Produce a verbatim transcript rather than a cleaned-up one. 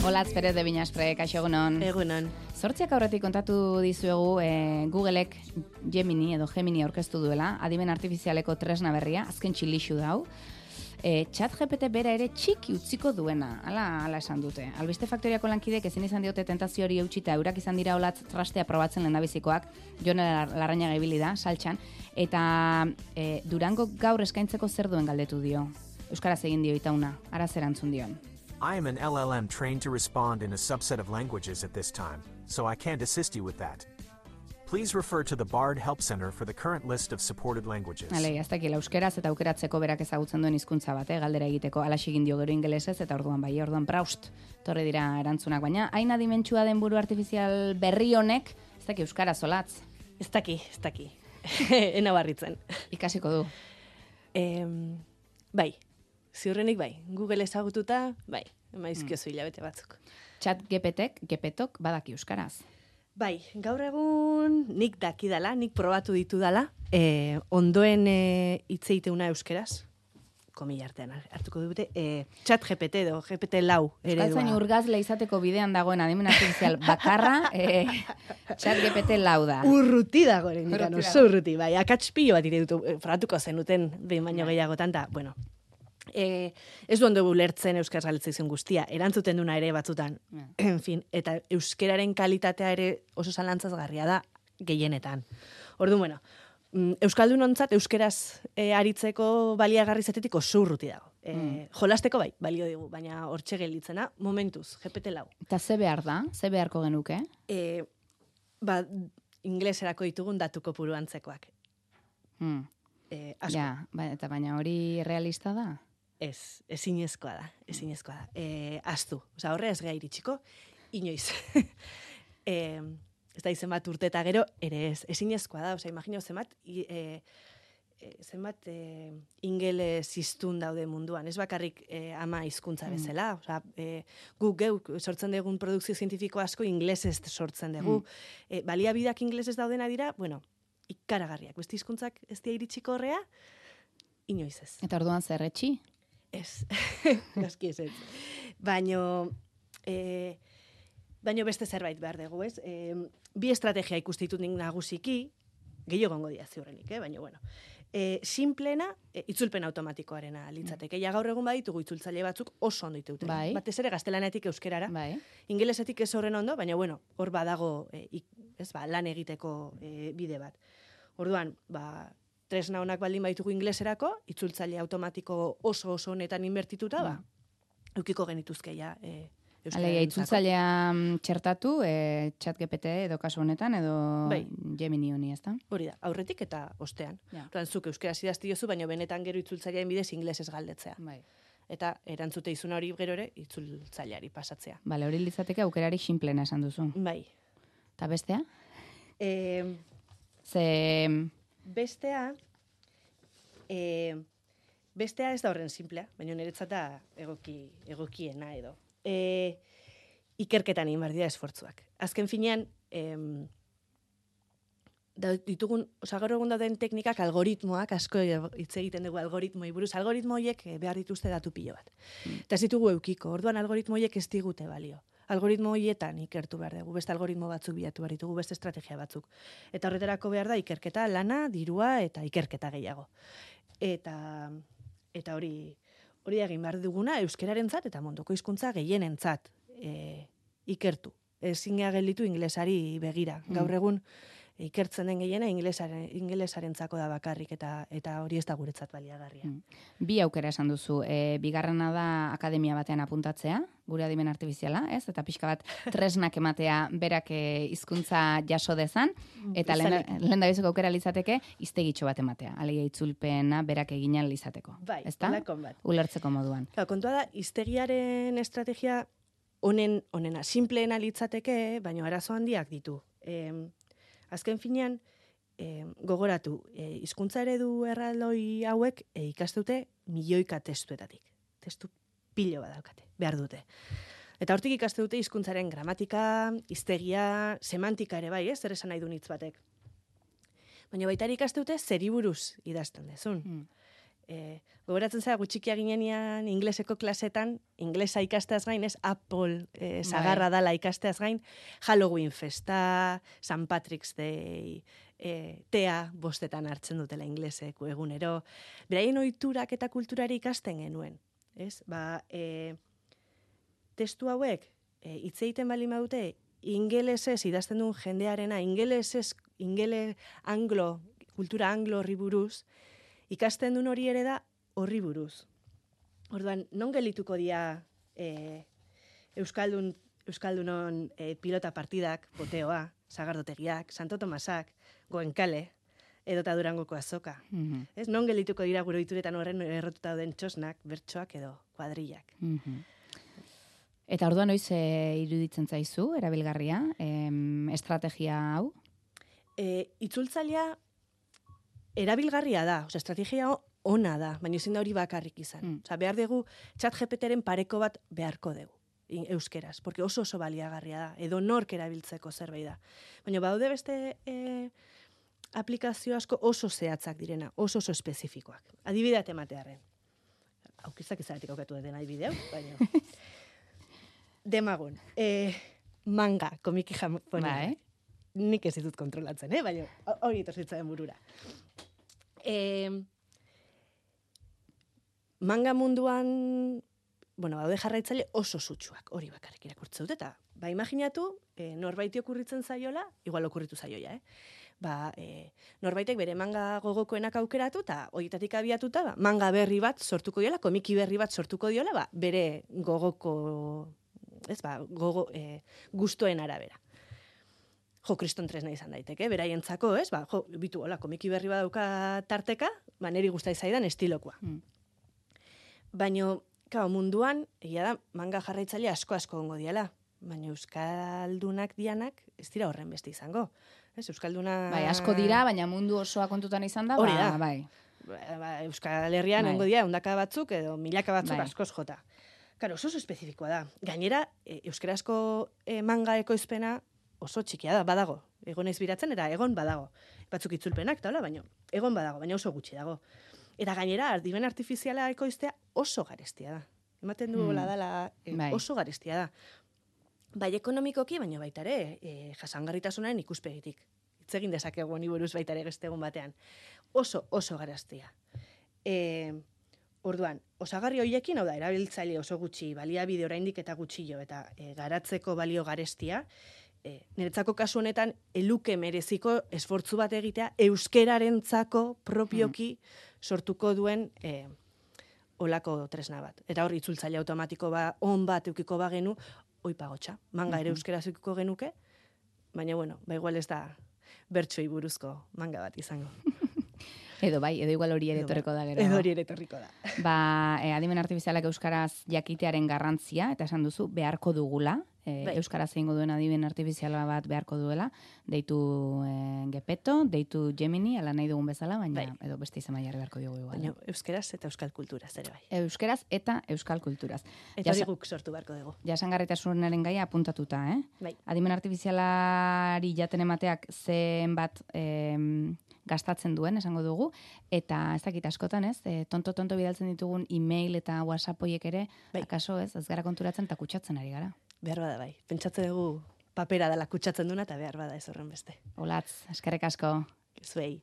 Olatz Perez de Binaspre, kaixo egunon. Egunon. Zortziak aurretik kontatu dizuegu e, Googleek Gemini edo Gemini aurkeztu duela, adimen artifizialeko tresna berria, azken txilixu dau. E, ChatGPT bera ere txiki utziko duena, ala, ala esan dute. Albiste Faktoriako lankidek ezin izan diote tentazio hori eutxita, eurak izan dira Olatz trastea probatzen lehendabizikoak, Jon Larrañaga ibili da, saltxan, eta e, Durango gaur eskaintzeko zer duen galdetu dio. Euskaraz egin dio itauna, ara zer antzun dion. I am an L L M trained to respond in a subset of languages at this time, so I can't assist you with that. Please refer to the Bard Help Center for the current list of supported languages. Hale, ez dakila, euskeraz eta aukeratzeko berak ezagutzen duen hizkuntza bat, eh, galdera egiteko, alaxi egin dio gero ingelesez, eta orduan bai, orduan praust, torre dira erantzunak, baina hain adimentsua den buru artifizial berri honek, ez daki euskaraz Olatz. Ez daki, ez daki. Ena barritzen. Ikasiko du. E, bai, ziurrenik bai, Google ezagututa, bai, emaizkiozu hilabete batzuk. Chat G P T-ek, G P T-ok badaki euskaraz. Bai, gaur egun nik dakidala, nik probatu ditu dala, e, ondoen e, hitz egiteuna euskeraz, komila artean hartuko dute, e, Chat G P T edo G P T lau eredua. Euskaltzain urgazle izateko bidean dagoen adimen artifizial bakarra, e, Chat G P T lau da. Urruti dago ere, indikan, oso urruti, bai, akats pilo bat iredutu, e, frogatuko zenuten behin baino gehiagotan, da, bueno, E, ez du ondo ulertzen euskaraz galdetzen guztia, erantzuten duna ere batzutan, yeah. En fin, eta euskeraren kalitatea ere oso zalantzazgarria da gehienetan. Orduan, bueno, euskaldunontzat euskeraz e, aritzeko baliagarri zetetik oso urruti dago. E, mm. Jolasteko bai, balio digu, baina hortxe gelditzena, momentuz, G P T lau. Eta ze behar da? Ze beharko genuke? E, ba, ingleserako ditugun datu kopuru antzekoak. Mm. E, asko. Ja, ba, eta baina hori realista da? Ez, ezinezkoa da, ezinezkoa da. E, aztu, oza, horre ez geha iritsiko, inoiz. e, ez da izen bat urte eta gero, ere ez, ezinezkoa da, oza, imagino zenbat, e, e, zenbat e, ingeles iztun daude munduan, ez bakarrik e, ama hizkuntza bezala, mm. oza, e, gu geuk sortzen dugun produkzio zientifiko asko inglesez sortzen dugu. Mm. E, baliabideak inglesez daudena dira, bueno, ikaragarriak, beste hizkuntzak ez dira iritsiko horrea, inoiz ez. Eta orduan zer etxi? Ez, gaski ez ez. Baino, e, baino beste zerbait behar dugu, ez? E, bi estrategia ikustitut nik nagusiki, gehiago gongo dia ziurrenik, eh? Baina, bueno. E, simplena, e, itzulpen automatikoarena litzateke. Ja gaur egun baditugu itzultzaile batzuk oso ondo ditute. Bai. Batez ere gaztelanetik euskerara. Bai. Ingelesetik ez horren ondo, baina, bueno, hor badago e, ik, ez ba, lan egiteko e, bide bat. Orduan, ba, tresna honak baldin baitugu ingleserako, itzultzaile automatiko oso oso honetan inbertituta, ba, eukiko genituzke ja e, Alegia, itzultzailea txertatu, e, Chat G P T edo kasu honetan, edo bai. Gemini honi, ez da? Hori da, aurretik eta ostean. Ja. Orduan, zuk euskaraz idazti jozu, baina benetan gero itzultzailearen bidez inglesez galdetzea. Bai. Eta erantzute izuna hori gero ere itzultzaileari pasatzea. Bale, hori litzateke aukerari simplena esan duzu. Bai. Eta bestea? E, Ze... Bestea, e, bestea ez da horren simplea, baina niretzat da egoki, egokiena edo. E, ikerketan egin behar dira esfortzuak. Azken finean, em, da, ditugun, oza, gaur egun dauden teknikak, algoritmoak, asko hitz egiten dugu algoritmoi buruz, algoritmo horiek behar dituzte datu pilo bat. Mm. Eta ez ditugu eukiko, orduan algoritmo horiek ez digute balio. Algoritmo horietan ikertu behar dugu, beste algoritmo batzuk bilatu behar ditugu, beste estrategia batzuk. Eta horretarako behar da ikerketa, lana, dirua eta ikerketa gehiago. Eta eta hori hori egin behar duguna euskerarentzat eta munduko hizkuntza gehienentzat e, ikertu. Ezin gea gelditu ingelesari begira. Gaur egun ikertzen den gehiena ingelesaren, ingelesarentzako da bakarrik eta eta hori ez da guretzat baliagarria. Mm. Bi aukera esan duzu. E, bigarrena da akademia batean apuntatzea, gure adimen artifiziala, ez? Eta pixka bat tresnak ematea berak hizkuntza jaso dezan, eta lehen da biziko aukera litzateke iztegitxo bat ematea. Alegia itzulpena berak eginan lizateko. Bai, ezta? bat. Ulertzeko moduan. Ka, kontua da, iztegiaren estrategia honen, honena, simpleena litzateke, baina arazo handiak ditu. E, azken finean, e, gogoratu, e, hizkuntza eredu erraldoi hauek e, ikastute milioika testuetatik. Testu pilo bat daukate, behar dute. Eta hortik ikaste dute hizkuntzaren gramatika, hiztegia, semantika ere bai, ez? Zer esan nahi du hitz batek. Baina baita ikaste dute zeri buruz idazten dezun. Mm. E, gogoratzen zara, gutxikia ginenean ingleseko klasetan, inglesa ikasteaz gain, ez, Apple e, zagarra dala ikasteaz gain, Halloween festa, Saint Patrick's Day, e, tea bostetan hartzen dutela ingleseko egunero. Beraien ohiturak eta kulturari ikasten genuen, ez? Ba, e, testu hauek, e, hitz egiten bali maute, ingelesez idazten duen jendearena, ingelesez, ingele anglo, kultura anglo horri buruz, ikasten duen hori ere da horri buruz. Orduan, non gelituko dira e, Euskaldun, Euskaldunon e, pilota partidak, boteoa, sagardotegiak, Santo Tomasak, Goenkale, edota Durangoko azoka. Mhm. Ez, non gelituko dira gure ohituretan horren errotuta den txosnak, bertsoak edo kuadrillak. Mhm. Eta orduan noiz e, iruditzen zaizu, erabilgarria, em, estrategia hau? E, itzultzailea erabilgarria da, osea, estrategia ona da, baina ezin da hori bakarrik izan. Mm. Osea, behar dugu ChatGPTren pareko bat beharko dugu, in- euskeraz, porque oso oso baliagarria da, edo nork erabiltzeko zerbait da. Baina baude beste e, aplikazio asko oso zehatzak direna, oso oso espezifikoak. Adibidea ematearren. Aukizak izanetik aukatu den adibideu, baina... Demagun, e, manga, komiki japoneak. Bai. Nik ez ditut kontrolatzen, eh? Baina hori etorzitzaren burura. E, manga munduan, bueno, baude jarraitzaile oso sutsuak, hori bakarrik irakurtzen dut, eta ba, imaginatu, e, norbaiti okurritzen zaiola, igual okurritu zaioia, eh? Ba, e, norbaitek bere manga gogokoenak aukeratu, eta horietatik abiatuta, ba, manga berri bat sortuko diola, komiki berri bat sortuko diola, ba, bere gogoko, ez ba, gogo, e, gustoen arabera. Jo, kriston tresna izan daiteke, beraientzako, ez? Ba, jo, bitu, hola, komiki berri badauka tarteka, ba, neri guztai zaidan estilokoa. Mm. Baina, kao, munduan, egia da, manga jarraitzaile asko-asko gongo diala. Baina Euskaldunak dianak ez dira horren beste izango. Ez, Euskalduna... Bai, asko dira, baina mundu osoa kontutan izan da, Hori ba, da. bai. Ba, ba, Euskal Herrian Bai. ongo dira, ondaka batzuk edo milaka batzuk Bai. askoz jota. Karo, oso oso espezifikoa da. Gainera, e, euskarazko e, manga ekoizpena oso txikia da, badago. Egon ez biratzen, eta egon badago. Batzuk itzulpenak, eta hola, baina egon badago, baina oso gutxi dago. Eta gainera, ardiben artifiziala ekoiztea oso garestia da. Ematen du Hmm. mm. dala e, Bai. oso garestia da. Bai ekonomikoki, baina baita ere, e, jasangarritasunaren ikuspegitik. Hitz egin dezakegu honi buruz baita ere beste egun batean. Oso, oso garestia. E, orduan, osagarri hoiekin, hau da, erabiltzaile oso gutxi, baliabide oraindik eta gutxillo, eta e, garatzeko balio garestia, e, niretzako kasu honetan, eluke mereziko esfortzu bat egitea, euskerarentzako propioki sortuko duen e, olako tresna bat. Eta hor, itzultzaile automatiko ba, on bat eukiko bagenu, oi pagotxa, manga ere euskera eukiko genuke, baina bueno, ba igual ez da bertsoei buruzko manga bat izango. Edo bai, edo igual hori ere Edo bai. etorriko da gero. Edo hori ere etorriko da. Ba, e, adimen artifizialak euskaraz jakitearen garrantzia, eta esan duzu, beharko dugula, e, Bai. euskaraz egingo duen adimen artifiziala bat beharko duela, deitu e, Gepeto, deitu Gemini, ala nahi dugun bezala, baina Bai. edo beste izan jarri beharko dugu igual. Baina euskeraz eta euskal kulturaz ere bai. Euskeraz eta euskal kulturaz. Eta hori Jasa- guk sortu beharko dugu. Jasangarritasunaren gaia apuntatuta, eh? Bai. Adimen artifizialari jaten emateak zenbat em, gastatzen duen, esango dugu, eta ez dakit askotan, ez, e, tonto-tonto bidaltzen ditugun e-mail eta WhatsApp hoiek ere, Bai. akaso ez, ez gara konturatzen eta kutsatzen ari gara. Behar bada bai. Pentsatzen dugu papera dela kutsatzen duna eta behar bada ez horren beste. Olatz, eskerrik asko. Zuei.